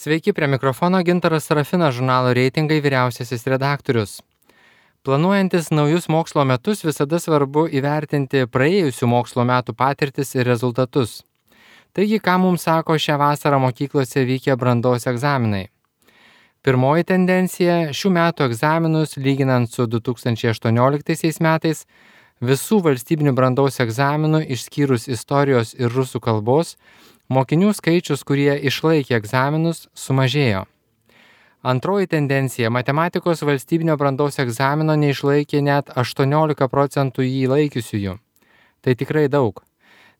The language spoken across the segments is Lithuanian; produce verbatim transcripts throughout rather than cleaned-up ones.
Sveiki, prie mikrofono Gintaras Sarafinas, žurnalo Reitingai vyriausiasis redaktorius. Planuojantis naujus mokslo metus visada svarbu įvertinti praėjusių mokslo metų patirtis ir rezultatus. Taigi, ką mums sako šią vasarą mokyklose vykę brandos egzaminai? Pirmoji tendencija – šių metų egzaminus, lyginant su du tūkstančiai aštuonioliktaisiais metais, visų valstybinių brandos egzaminų išskyrus istorijos ir rusų kalbos, mokinių skaičius, kurie išlaikė egzaminus, sumažėjo. Antroji tendencija – matematikos valstybinio brandos egzamino neišlaikė net aštuoniolika procentų jį laikiusiųjų. Tai tikrai daug.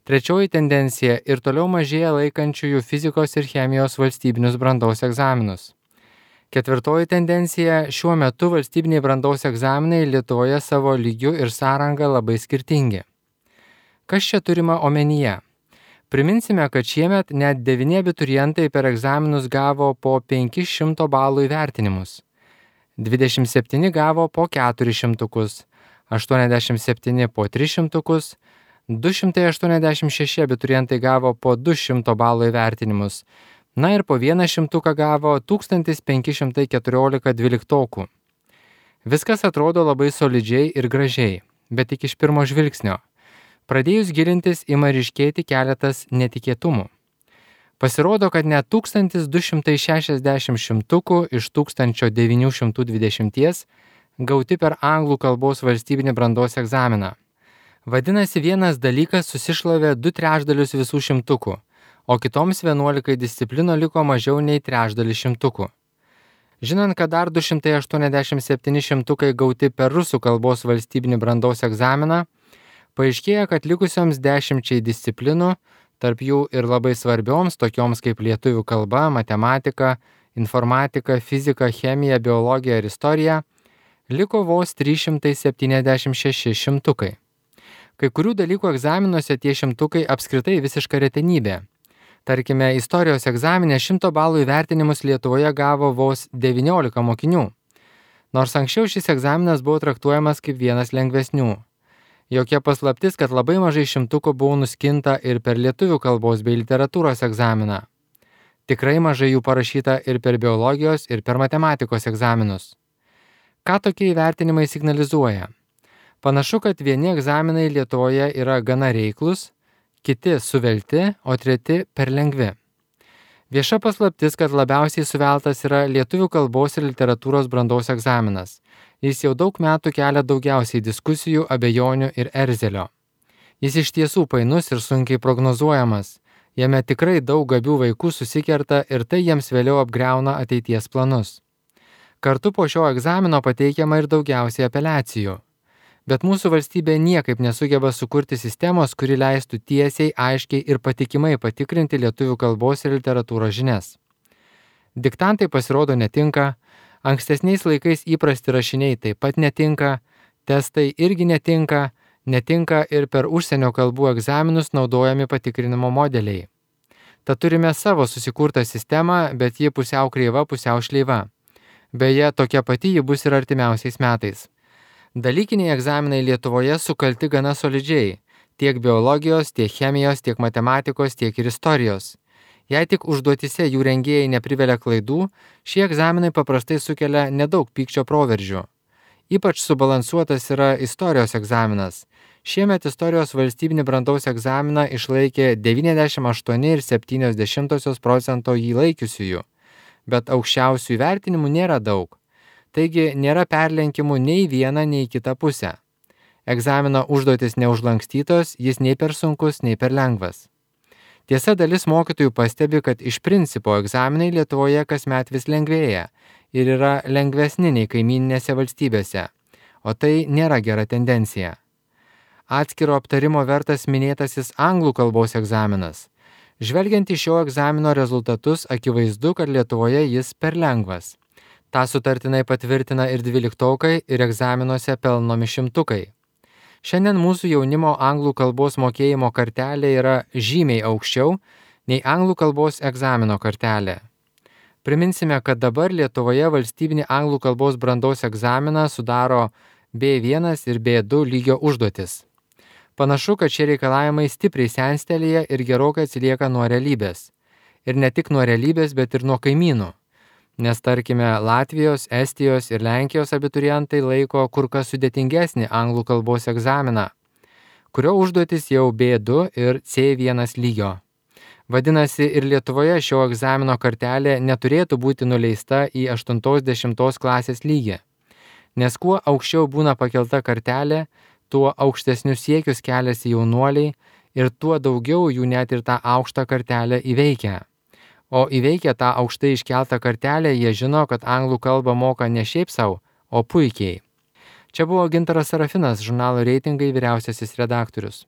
Trečioji tendencija – ir toliau mažėja laikančiųjų fizikos ir chemijos valstybinius brandos egzaminus. Ketvirtoji tendencija – šiuo metu valstybiniai brandos egzaminai Lietuvoje savo lygiu ir sąranga labai skirtingi. Kas čia turima omenyje? Priminsime, kad šiemet net devyni abiturientai per egzaminus gavo po penkis šimtus balų įvertinimus. dvidešimt septyni gavo po keturis šimtukus, aštuoniasdešimt septyni po tris šimtukus, du šimtai aštuoniasdešimt šeši abiturientai gavo po du šimtus balų įvertinimus, na ir po vieną šimtuką gavo tūkstantis penki šimtai keturiolika dvyliktokų. Viskas atrodo labai solidžiai ir gražiai, bet tik iš pirmo žvilgsnio. Pradėjus gilintis ima ryškėti keletas netikėtumų. Pasirodo, kad net tūkstantis du šimtai šešiasdešimt šimtukų iš tūkstančio devynių šimtų dvidešimties gauti per anglų kalbos valstybinį brandos egzaminą. Vadinasi, vienas dalykas susišlavė du trečdalius visų šimtukų, o kitoms vienuolikai disciplinų liko mažiau nei trečdalis šimtukų. Žinant, kad dar du šimtai aštuoniasdešimt septyni šimtukai gauti per rusų kalbos valstybinį brandos egzaminą, paaiškėja, kad likusioms dešimčiai disciplinų, tarp jų ir labai svarbioms, tokioms kaip lietuvių kalba, matematika, informatika, fizika, chemija, biologija ir istorija, liko vos trys šimtai septyniasdešimt šeši šimtukai. Kai kurių dalykų egzaminuose tie šimtukai apskritai visiška retenybė. Tarkime, istorijos egzamine šimto balų įvertinimus Lietuvoje gavo vos devyniolika mokinių. Nors anksčiau šis egzaminas buvo traktuojamas kaip vienas lengvesnių. Jokia paslaptis, kad labai mažai šimtukų buvo nuskinta ir per lietuvių kalbos bei literatūros egzaminą. Tikrai mažai jų parašyta ir per biologijos, ir per matematikos egzaminus. Ką tokie įvertinimai signalizuoja? Panašu, kad vieni egzaminai Lietuvoje yra gana reiklus, kiti suvelti, o treti per lengvi. Vieša paslaptis, kad labiausiai suveltas yra lietuvių kalbos ir literatūros brandos egzaminas. Jis jau daug metų kelia daugiausiai diskusijų, abejonių ir erzelio. Jis iš tiesų painus ir sunkiai prognozuojamas. Jame tikrai daug gabių vaikų susikerta ir tai jiems vėliau apgriauna ateities planus. Kartu po šio egzamino pateikiama ir daugiausiai apeliacijų. Bet mūsų valstybė niekaip nesugeba sukurti sistemos, kuri leistų tiesiai, aiškiai ir patikimai patikrinti lietuvių kalbos ir literatūros žinias. Diktantai pasirodo netinka, ankstesniais laikais įprasti rašiniai taip pat netinka, testai irgi netinka, netinka ir per užsienio kalbų egzaminus naudojami patikrinimo modeliai. Tad turime savo susikurtą sistemą, bet ji pusiau kreiva, pusiau šleiva. Beje, tokia pati ji bus ir artimiausiais metais. Dalykiniai egzaminai Lietuvoje sukalti gana solidžiai, tiek biologijos, tiek chemijos, tiek matematikos, tiek ir istorijos. Jei tik užduotise jų rengėjai neprivelia klaidų, šie egzaminai paprastai sukelia nedaug pykčio proveržių. Ypač subalansuotas yra istorijos egzaminas. Šiemet istorijos valstybinį brandos egzaminą išlaikė devyniasdešimt aštuoni ir septynios dešimtosios procento jį laikiusiųjų, bet aukščiausių įvertinimų nėra daug. Taigi nėra perlenkimų nei vieną, nei kitą pusę. Egzamino užduotis neužlankstytos, jis nei per sunkus, nei per lengvas. Tiesa, dalis mokytojų pastebi, kad iš principo egzaminai Lietuvoje kasmet vis lengvėja ir yra lengvesni nei kaimyninėse valstybėse, o tai nėra gera tendencija. Atskiro aptarimo vertas minėtasis anglų kalbos egzaminas. Žvelgiant į šio egzamino rezultatus, akivaizdu, kad Lietuvoje jis per lengvas. Ta sutartinai patvirtina ir dvyliktokai, ir egzaminuose pelnomi šimtukai. Šiandien mūsų jaunimo anglų kalbos mokėjimo kartelė yra žymiai aukščiau nei anglų kalbos egzamino kartelė. Priminsime, kad dabar Lietuvoje valstybinį anglų kalbos brandos egzaminą sudaro B vienas ir B du lygio užduotis. Panašu, kad šie reikalavimai stipriai senstelėja ir gerokai atsilieka nuo realybės. Ir ne tik nuo realybės, bet ir nuo kaimynų. Nes tarkime, Latvijos, Estijos ir Lenkijos abiturientai laiko kur kas sudėtingesnį anglų kalbos egzaminą, kurio užduotis jau B du ir C vienas lygio. Vadinasi, ir Lietuvoje šio egzamino kartelė neturėtų būti nuleista į aštuntos dešimtos klasės lygį. Nes kuo aukščiau būna pakelta kartelė, tuo aukštesnius siekius keliasi jaunuoliai ir tuo daugiau jų net ir tą aukštą kartelę įveikia. O įveikę tą aukštai iškeltą kartelę, jie žino, kad anglų kalbą moka ne šiaip sau, o puikiai. Čia buvo Gintaras Sarafinas, žurnalo Reitingai vyriausiasis redaktorius.